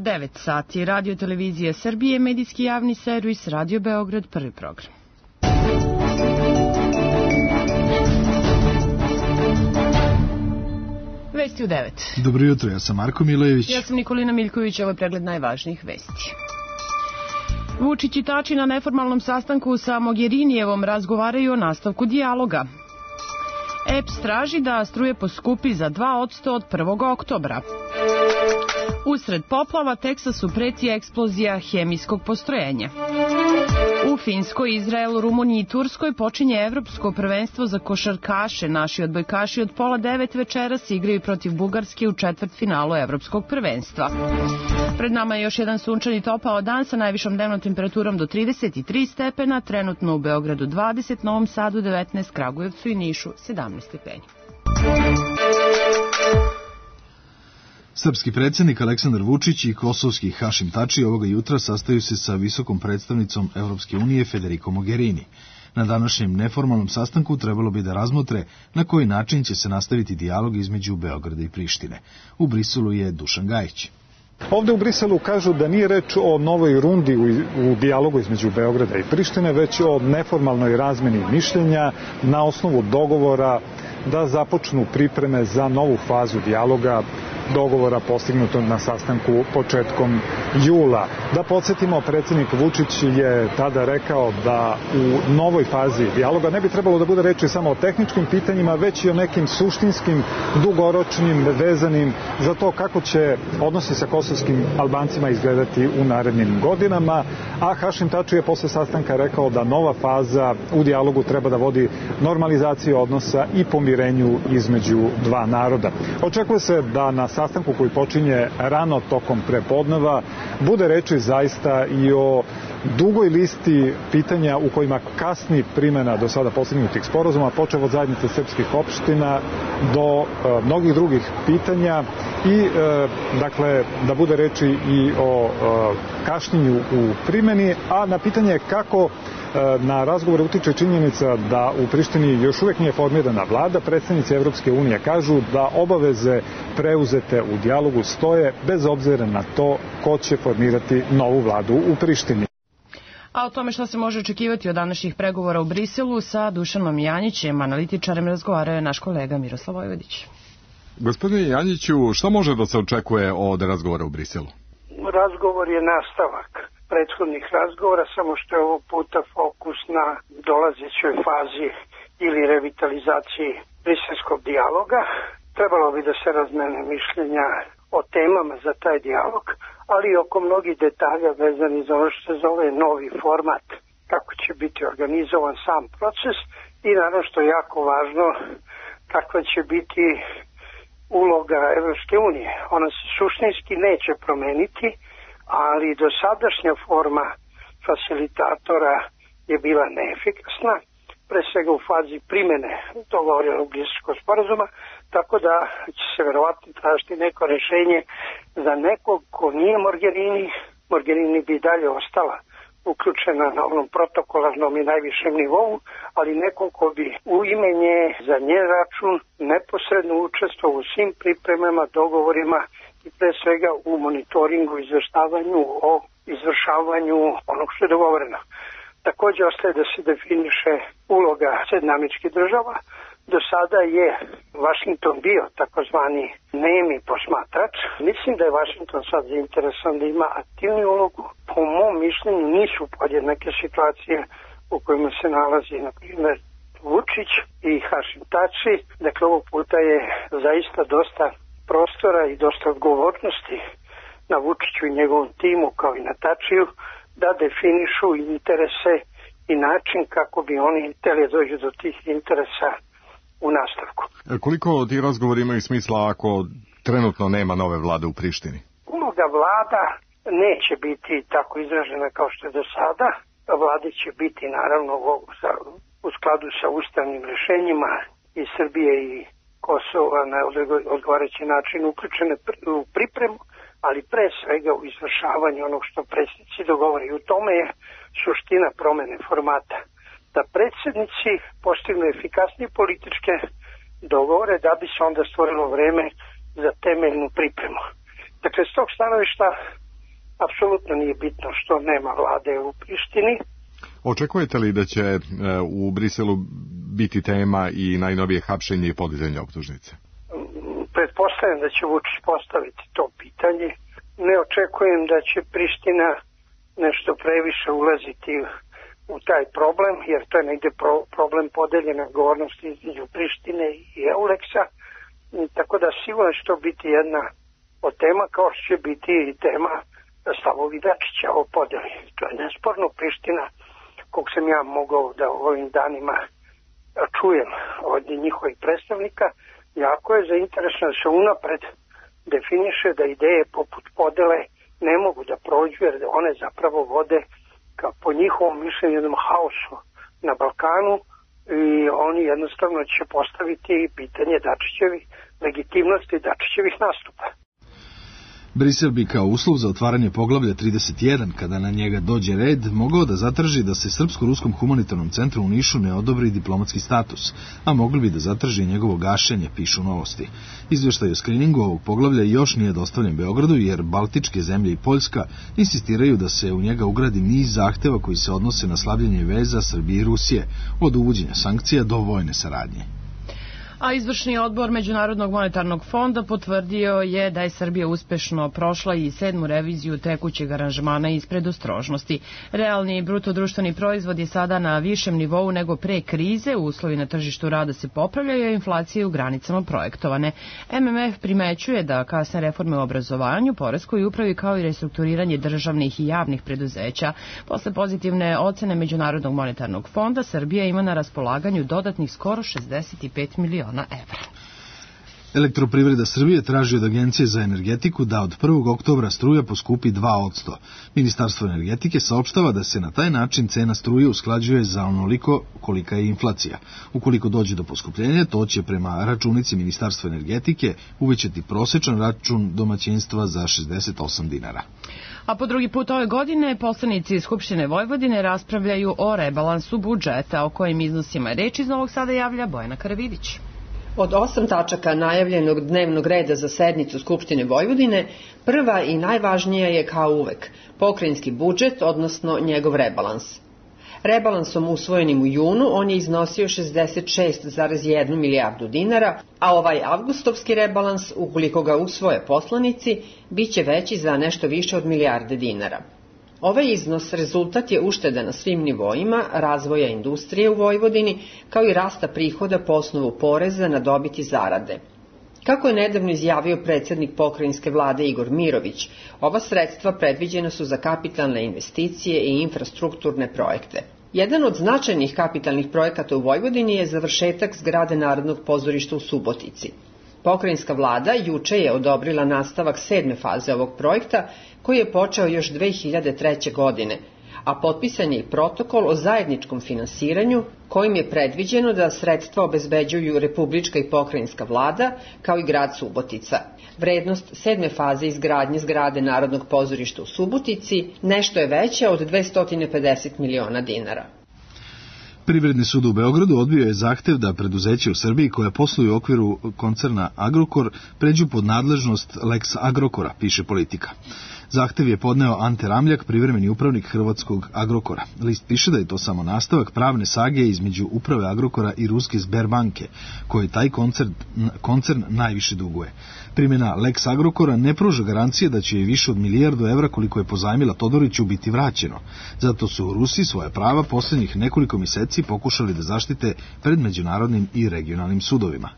9 sati. Radio Televizija Srbije, medijski javni servis, Radio Beograd, prvi program. Vesti u 9. Dobro jutro, ja sam Marko Milojević. Ja sam Nikolina Miljković, ovo je pregled najvažnijih vesti. Vučić i Tači na neformalnom sastanku sa Mogherinijevom razgovaraju o nastavku dijaloga. EPS traži da struje poskupi za 2% od 1. oktobra. Usred poplava Teksasu preti eksplozija hemijskog postrojenja. U Finskoj, Izraelu, Rumuniji i Turskoj počinje evropsko prvenstvo za košarkaše. Naši odbojkaši od 8:30 večeras igraju protiv Bugarske u četvrtfinalu evropskog prvenstva. Pred nama je još jedan sunčani topao dan sa najvišom dnevnom temperaturom do 33 stepena, trenutno u Beogradu 20, Novom Sadu 19, Kragujevcu i Nišu 17 stepeni. Srpski predsjednik Aleksandar Vučić i kosovski Hašim Tači ovoga jutra sastaju se sa visokom predstavnicom Evropske unije Federico Mogherini. Na današnjem neformalnom sastanku trebalo bi da razmotre na koji način će se nastaviti dijalog između Beograda i Prištine. U Briselu je Dušan Gajić. Ovde u Briselu kažu da nije reč o novoj rundi u dijalogu između Beograda i Prištine, već o neformalnoj razmeni mišljenja na osnovu dogovora da započnu pripreme za novu fazu dijaloga, dogovora postignutog na sastanku početkom jula. Da podsjetimo, predsjednik Vučić je tada rekao da u novoj fazi dijaloga ne bi trebalo da bude reči samo o tehničkim pitanjima, već i o nekim suštinskim, dugoročnim, vezanim za to kako će odnosi sa kosovskim Albancima izgledati u narednim godinama, a Hašim Tači je posle sastanka rekao da nova faza u dijalogu treba da vodi normalizaciju odnosa i pomirenju između dva naroda. Očekuje se da na sastanku koji počinje rano tokom prepodneva bude reči zaista i o dugoj listi pitanja u kojima kasni primjena do sada postignutih sporazuma, počev od zajednice srpskih opština do mnogih drugih pitanja i dakle da bude reči i o kašnjenju u primjeni, a na pitanje kako na razgovore utiče činjenica da u Prištini još uvijek nije formirana vlada, predstavnici Evropske unije kažu da obaveze preuzete u dijalogu stoje bez obzira na to ko će formirati novu vladu u Prištini. A o tome što se može očekivati od današnjih pregovora u Briselu sa Dušanom Janjićem, analitičarem, razgovarao je naš kolega Miroslav Vojvodić. Gospodine Janjiću, što može da se očekuje od razgovora u Briselu? Razgovor je nastavak prethodnih razgovora, samo što je ovog puta fokus na dolazećoj fazi ili revitalizaciji briselskog dijaloga. Trebalo bi da se razmene mišljenja o temama za taj dijalog, ali i oko mnogih detalja vezani za ono što se zove novi format, kako će biti organizovan sam proces i naravno što je jako važno, kakva će biti uloga Evropske unije. Ona se suštinski neće promeniti, ali dosadašnja forma facilitatora je bila neefikasna, pre svega u fazi primjene dogovorenog Briselskog sporazuma, tako da će se verovatno tražiti neko rješenje za nekog ko nije Mogherini. Mogherini bi dalje ostala uključena na onom protokolarnom i najvišem nivou, ali nekom ko bi u ime nje, za njen račun, neposredno učestvovao u svim pripremama, dogovorima i pre svega u monitoringu, izveštavanju o izvršavanju onog što je dogovoreno. Također ostaje da se definiše uloga Sjedinjenih Država. Do sada je Vašington bio takozvani nemi posmatrač. Mislim da je Vašington sad zainteresovan da ima aktivnu ulogu. Po mom mišljenju nisu podjednake situacije u kojima se nalazi, na primjer, Vučić i Hašim Tači. Dakle, ovog puta je zaista dosta prostora i dosta odgovornosti na Vučiću i njegovom timu, kao i na Tačiju, da definišu interese i način kako bi oni htjeli dođu do tih interesa u nastavku. Koliko ti razgovori imaju smisla ako trenutno nema nove vlade u Prištini? Uloga vlada neće biti tako izražena kao što je do sada. Vlade će biti naravno u skladu sa ustavnim rješenjima i Srbije i Kosova na odgovarajući način uključene u pripremu, ali pre svega u izvršavanju onog što predsjednici dogovore. I u tome je suština promene formata. Da predsjednici postignu efikasnije političke dogovore da bi se onda stvorilo vreme za temeljnu pripremu. Dakle, s tog stanovišta apsolutno nije bitno što nema vlade u Prištini. Očekujete li da će u Briselu biti tema i najnovije hapšenje i podizanje optužnice? Pretpostavljam da će Vučić postaviti to pitanje. Ne očekujem da će Priština nešto previše ulaziti u taj problem, jer to je negde problem podeljene odgovornosti između Prištine i Euleksa. Tako da sigurno će to biti jedna od tema, kao što će biti i tema stavovi Dačića o podeli. To je nesporno. Priština, kog sam ja mogao da u ovim danima čujem od njihovih predstavnika, jako je zainteresno da se unapred definiše da ideje poput podele ne mogu da prođu, jer one zapravo vode ka po njihovom mišljenju jednom haosu na Balkanu i oni jednostavno će postaviti pitanje Dačićevih legitimnosti Dačićevih nastupa. Brisel bi kao uslov za otvaranje poglavlja 31, kada na njega dođe red, mogao da zatraži da se Srpsko-ruskom humanitarnom centru u Nišu ne odobri diplomatski status, a mogli bi da zatraži njegovo gašenje, pišu Novosti. Izveštaj o skriningu ovog poglavlja još nije dostavljen Beogradu, jer Baltičke zemlje i Poljska insistiraju da se u njega ugradi niz zahteva koji se odnose na slabljenje veza Srbije i Rusije, od uvođenja sankcija do vojne saradnje. A izvršni odbor Međunarodnog monetarnog fonda potvrdio je da je Srbija uspešno prošla i 7. reviziju tekućeg aranžmana iz predostrožnosti. Realni brutodruštveni proizvod je sada na višem nivou nego pre krize, uslovi na tržištu rada se popravljaju, a inflacije u granicama projektovane. MMF primećuje da kasne reforme u obrazovanju, poreskoj upravi kao i restrukturiranje državnih i javnih preduzeća. Posle pozitivne ocene Međunarodnog monetarnog fonda, Srbija ima na raspolaganju dodatnih skoro 65 miliona evra. Elektroprivreda Srbije traži od Agencije za energetiku da od 1. oktobra struja poskupi 2%. Ministarstvo energetike saopštava da se na taj način cena struje usklađuje za onoliko kolika je inflacija. Ukoliko dođe do poskupljenja, to će prema računici Ministarstva energetike uvećati prosečan račun domaćinstva za 68 dinara. A po drugi put ove godine poslanici Skupštine Vojvodine raspravljaju o rebalansu budžeta, o kojim iznosima je reč. Iz Novog Sada javlja Bojana Karavidić. Od 8 tačaka najavljenog dnevnog reda za sednicu Skupštine Vojvodine, prva i najvažnija je kao uvek pokrajinski budžet, odnosno njegov rebalans. Rebalansom usvojenim u junu on je iznosio 66,1 milijardu dinara, a ovaj avgustovski rebalans, ukoliko ga usvoje poslanici, biće veći za nešto više od milijarde dinara. Ovaj iznos rezultat je ušteda na svim nivoima, razvoja industrije u Vojvodini, kao i rasta prihoda po osnovu poreza na dobit i zarade. Kako je nedavno izjavio predsjednik pokrajinske vlade Igor Mirović, ova sredstva predviđena su za kapitalne investicije i infrastrukturne projekte. Jedan od značajnih kapitalnih projekata u Vojvodini je završetak zgrade Narodnog pozorišta u Subotici. Pokrajinska vlada juče je odobrila nastavak 7. faze ovog projekta, koji je počeo još 2003. godine, a potpisan je i protokol o zajedničkom finansiranju, kojim je predviđeno da sredstva obezbeđuju republička i pokrajinska vlada, kao i grad Subotica. Vrednost 7. faze izgradnje zgrade Narodnog pozorišta u Subotici nešto je veća od 250 miliona dinara. Privredni sud u Beogradu odbio je zahtev da preduzeće u Srbiji koja posluju u okviru koncerna Agrokor pređu pod nadležnost Lex Agrokora, piše Politika. Zahtev je podneo Ante Ramljak, privremeni upravnik hrvatskog Agrokora. List piše da je to samo nastavak pravne sage između uprave Agrokora i ruske Sberbanke, koji taj koncern najviše duguje. Primjena Lex Agrokora ne pruža garancije da će više od milijardu evra koliko je pozajmila Todoriću biti vraćeno. Zato su Rusi svoje prava posljednjih nekoliko mjeseci pokušali da zaštite pred međunarodnim i regionalnim sudovima.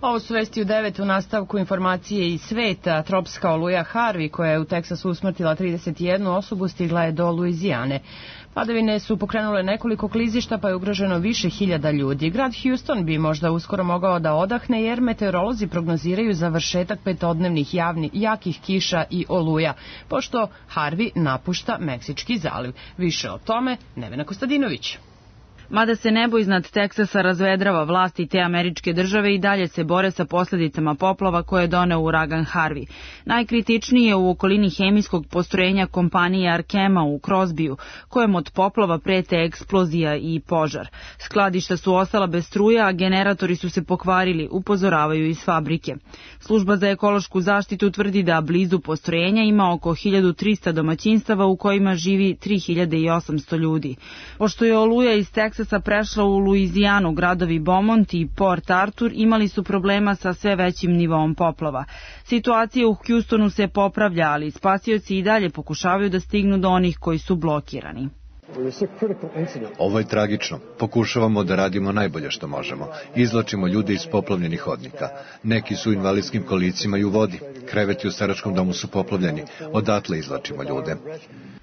Ovo su vesti u 9. u nastavku informacije iz sveta. Tropska oluja Harvey, koja je u Teksasu usmrtila 31 osobu, stigla je do Luizijane. Padavine su pokrenule nekoliko klizišta, pa je ugroženo više hiljada ljudi. Grad Houston bi možda uskoro mogao da odahne, jer meteorolozi prognoziraju završetak petodnevnih jakih kiša i oluja, pošto Harvey napušta Meksički zaliv. Više o tome Nevena Kostadinović. Mada se nebo iznad Teksasa razvedrava, vlasti te američke države i dalje se bore sa posljedicama poplava koje je doneo uragan Harvey. Najkritičniji je u okolini hemijskog postrojenja kompanije Arkema u Crosbyu, kojem od poplava prete eksplozija i požar. Skladišta su ostala bez struje, a generatori su se pokvarili, upozoravaju iz fabrike. Služba za ekološku zaštitu tvrdi da blizu postrojenja ima oko 1300 domaćinstava u kojima živi 3800 ljudi. Pošto je oluja iz Teksasa prešla u Luizijanu, gradovi Beaumont i Port Arthur imali su problema sa sve većim nivoom poplava. Situacija u Houstonu se popravlja, ali spasioci i dalje pokušavaju da stignu do onih koji su blokirani. Ovo je tragično. Pokušavamo da radimo najbolje što možemo. Izvlačimo ljude iz poplavljenih hodnika. Neki su u invalidskim kolicima i u vodi. Kreveti u staračkom domu su poplavljeni. Odatle izvlačimo ljude.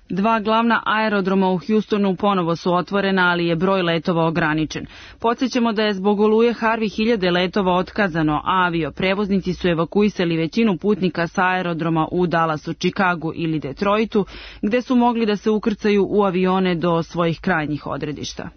Dva glavna aerodroma u Houstonu ponovo su otvorena, ali je broj letova ograničen. Podsjećamo da je zbog oluje Harvey 1000 letova otkazano, a avioprevoznici su evakuisali većinu putnika sa aerodroma u Dallasu, Chicagu ili Detroitu, gde su mogli da se ukrcaju u avione do svojih krajnjih odredišta.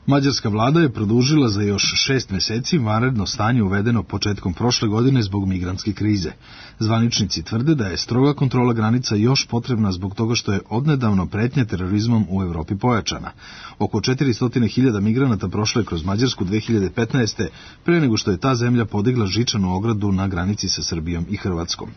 Mađarska vlada je produžila za još 6 meseci vanredno stanje uvedeno početkom prošle godine zbog migrantske krize. Zvaničnici tvrde da je stroga kontrola granica još potrebna zbog toga što je odnedavno pretnja terorizmom u Evropi pojačana. Oko 400.000 migranata prošlo je kroz Mađarsku 2015. pre nego što je ta zemlja podigla žičanu ogradu na granici sa Srbijom i Hrvatskom.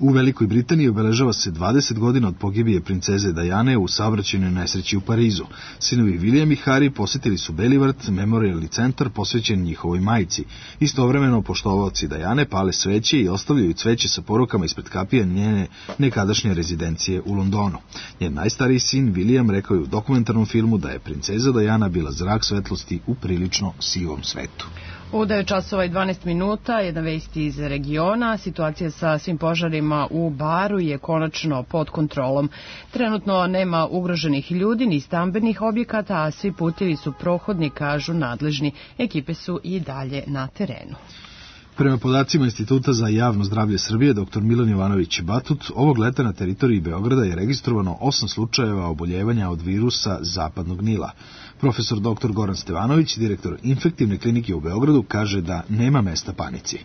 U Velikoj Britaniji obeležava se 20 godina od pogibije princeze Diane u saobraćajnoj nesreći u Parizu. Sinovi William i Harry posjetili su Beli vrt, memorialni centar posvećen njihovoj majci. Istovremeno poštovaoci Diane pale sveće i ostavljaju cveće sa porukama ispred kapije njene nekadašnje rezidencije u Londonu. Njen najstariji sin William rekao je u dokumentarnom filmu da je princeza Diana bila zrak svetlosti u prilično sivom svetu. U 9 časova i 12 minuta, jedna vest iz regiona. Situacija sa svim požarima u Baru je konačno pod kontrolom. Trenutno nema ugroženih ljudi ni stambenih objekata, a svi putevi su prohodni, kažu nadležni. Ekipe su i dalje na terenu. Prema podacima Instituta za javno zdravlje Srbije, dr. Milan Jovanović Batut, ovog leta na teritoriji Beograda je registrovano 8 slučajeva oboljevanja od virusa zapadnog Nila. Profesor dr. Goran Stevanović, direktor infektivne klinike u Beogradu, kaže da nema mesta panici.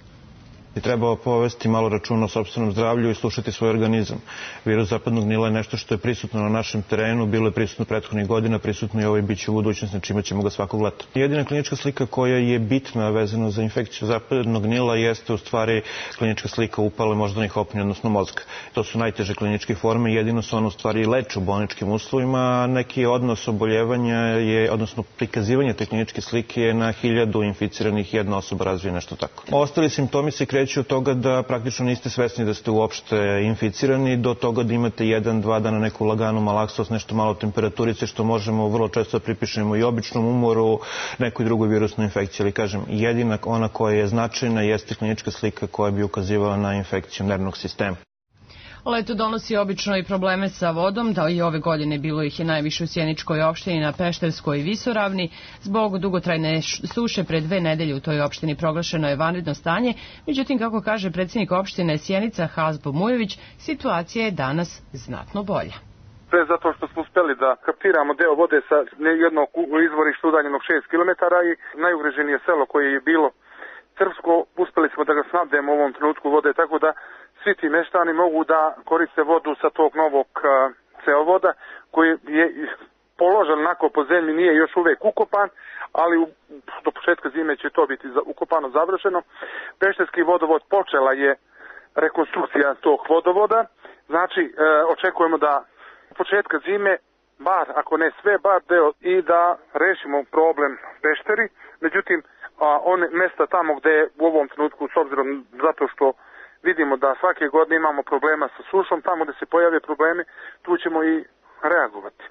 Treba povesti malo računa o sopstvenom zdravlju i slušati svoj organizam. Virus zapadnog Nila je nešto što je prisutno na našem terenu, bilo je prisutno prethodnih godina, prisutno je ovo i bit će u budućnosti, znači imat ćemo ga svakog leta. Jedina klinička slika koja je bitna vezana za infekciju zapadnog Nila jeste u stvari klinička slika upale moždanih opnji, odnosno mozga. To su najteže kliničke forme, jedino su one u stvari leče u bolničkim uslovima, a neki odnos oboljevanja je, odnosno prikazivanje te kliničke slike je na 1000 inficiranih jedna osoba razvije nešto tako. Ostali simptomi se kreću od toga da praktično niste svesni da ste uopšte inficirani, do toga da imate 1-2 dana neku laganu malaksost, nešto malo temperaturice, što možemo vrlo često pripišemo i običnom umoru, nekoj drugoj virusnoj infekciji. Ali kažem, jedina ona koja je značajna jeste klinička slika koja bi ukazivala na infekciju nervnog sistema. Leto donosi obično i probleme sa vodom, da i ove godine bilo ih je najviše u Sjeničkoj opštini, na Pešterskoj i Visoravni. Zbog dugotrajne suše pred 2 nedelje u toj opštini proglašeno je vanredno stanje, međutim, kako kaže predsjednik opštine Sjenica Hazbo Mujević, situacija je danas znatno bolja. Sve zato što smo uspjeli da kaptiramo deo vode sa jednog izvorišta udaljenog 6 km i najugroženije selo koje je bilo Crvsko, uspjeli smo da ga snabdemo u ovom trenutku vode, tako da svi ti meštani mogu da koriste vodu sa tog novog ceovoda koji je položen onako po zemlji, nije još uvek ukopan, ali do početka zime će to biti ukopano, završeno. Pešterski vodovod počela je rekonstrukcija tog vodovoda, znači očekujemo da od početka zime, bar ako ne sve, bar deo i da rešimo problem Pešteri, međutim one mesta tamo gde je u ovom trenutku, s obzirom zato što vidimo da svake godine imamo problema sa sušom, tamo gde se pojave problemi, tu ćemo i reagovati.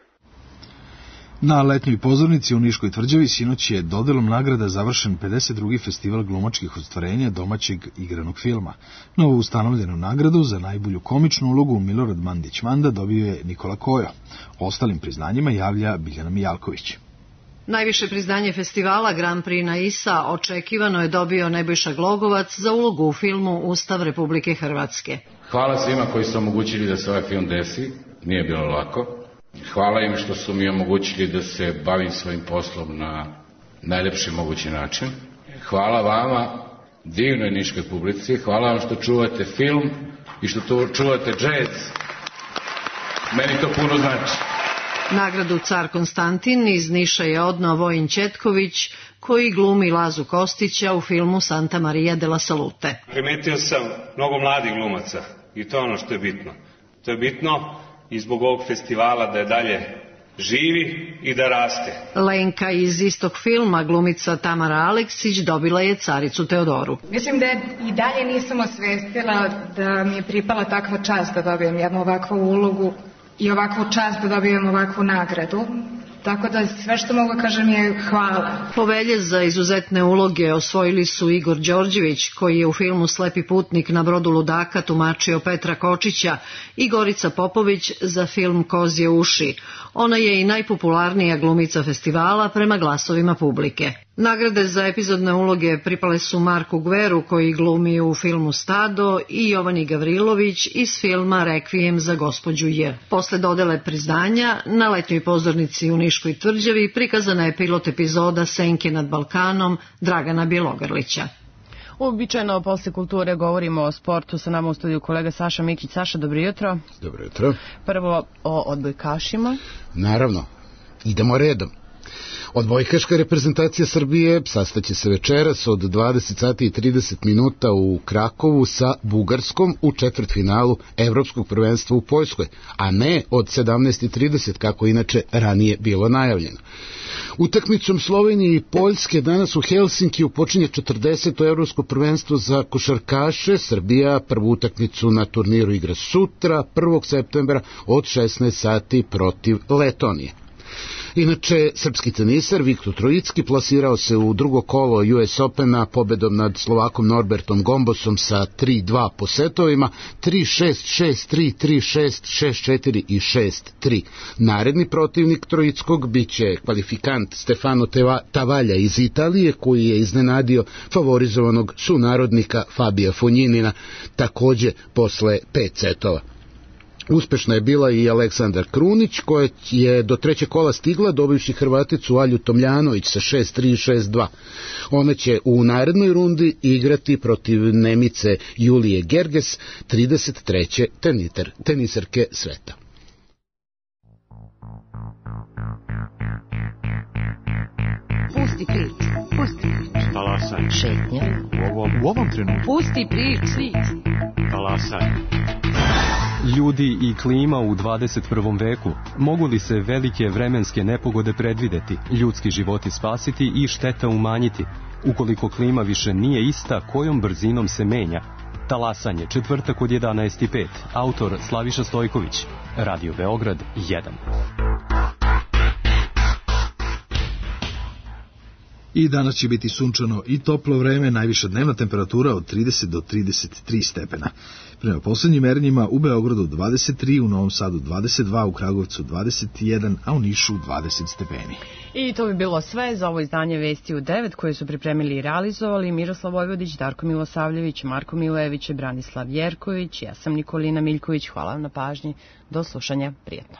Na letnjoj pozornici u Niškoj tvrđavi sinoć je dodelom nagrada završen 52. festival glumačkih ostvarenja domaćeg igranog filma. Novo ustanovljenu nagradu za najbolju komičnu ulogu Milorad Mandić-Manda dobio je Nikola Kojo. Ostalim priznanjima javlja Biljana Mijalković. Najviše priznanje festivala Grand Prix na ISA očekivano je dobio Nebojša Glogovac za ulogu u filmu Ustav Republike Hrvatske. Hvala svima koji su omogućili da se ovaj film desi, nije bilo lako. Hvala im što su mi omogućili da se bavim svojim poslom na najlepši mogući način. Hvala vama, divnoj niškoj publici, hvala vam što čuvate film i što čuvate džez. Meni to puno znači. Nagradu Car Konstantin iz Niša je odneo Vojin Ćetković, koji glumi Lazu Kostića u filmu Santa Maria de la Salute. Primetio sam mnogo mladih glumaca i to je ono što je bitno. To je bitno i zbog ovog festivala da je dalje živi i da raste. Lenka iz istog filma, glumica Tamara Aleksić, dobila je Caricu Teodoru. Mislim da i dalje nisam osvestila da mi je pripala takva čast da dobijem jednu ovakvu ulogu i ovakvu čast da dobijem ovakvu nagradu. Tako da sve što mogu kažem je hvala. Povelje za izuzetne uloge osvojili su Igor Đorđević, koji je u filmu Slepi putnik na brodu ludaka tumačio Petra Kočića, i Gorica Popović za film Kozje uši. Ona je i najpopularnija glumica festivala prema glasovima publike. Nagrade za epizodne uloge pripale su Marku Gveru, koji glumi u filmu Stado, i Jovani Gavrilović iz filma Rekvijem za gospođu J. Posle dodele priznanja, na letnjoj pozornici u Niškoj tvrđavi prikazana je pilot epizoda Senke nad Balkanom Dragana Bjelogrlića. Uobičajeno posle kulture govorimo o sportu. Sa nama u studiju kolega Saša Mikić. Saša, dobro jutro. Dobro jutro. Prvo o odbojkašima. Naravno, idemo redom. Odbojkaška reprezentacija Srbije sastaće se večeras od 20 sati i 30 minuta u Krakovu sa Bugarskom u četvrtfinalu Evropskog prvenstva u Poljskoj, a ne od 17:30 kako inače ranije bilo najavljeno. Utakmicom Slovenije i Poljske danas u Helsinkiju počinje 40. Evropsko prvenstvo za košarkaše. Srbija prvu utakmicu na turniru igra sutra, 1. septembra od 16 sati protiv Letonije. Inače, srpski tenisar Viktor Trojicki plasirao se u drugo kolo US Opena pobedom nad Slovakom Norbertom Gombosom sa 3-2 po setovima, 3-6, 6-3, 3-6, 6-4 i 6-3. Naredni protivnik Trojickog biće kvalifikant Stefano Tavalja iz Italije, koji je iznenadio favorizovanog sunarodnika Fabija Fonjinina, takođe posle 5 setova. Uspešna je bila i Aleksandar Krunić, koja je do trećeg kola stigla dobivši Hrvaticu Alju Tomljanović sa 6-3 i 6-2. Ona će u narednoj rundi igrati protiv Nemice Julije Gerges, 33. tenisarke sveta. Pusti prič, pusti prič. Talasaj. Šetnja. U ovom trenutku. Pusti prič, svić. Talasaj. Ljudi i klima u 21. veku. Mogu li se velike vremenske nepogode predvideti, ljudski životi spasiti i šteta umanjiti? Ukoliko klima više nije ista, kojom brzinom se menja? Talasanje, četvrtak od 11:05. Autor Slaviša Stojković. Radio Beograd 1. I danas će biti sunčano i toplo vreme, najviša dnevna temperatura od 30 do 33 stepena. Prema poslednjim merenjima u Beogradu 23, u Novom Sadu 22, u Kragujevcu 21, a u Nišu 20 stepeni. I to bi bilo sve za ovo izdanje Vesti u 9 koje su pripremili i realizovali Miroslav Vojvodić, Darko Milosavljević, Marko Milević i Branislav Jerković. Ja sam Nikolina Miljković. Hvala vam na pažnji. Do slušanja. Prijetno.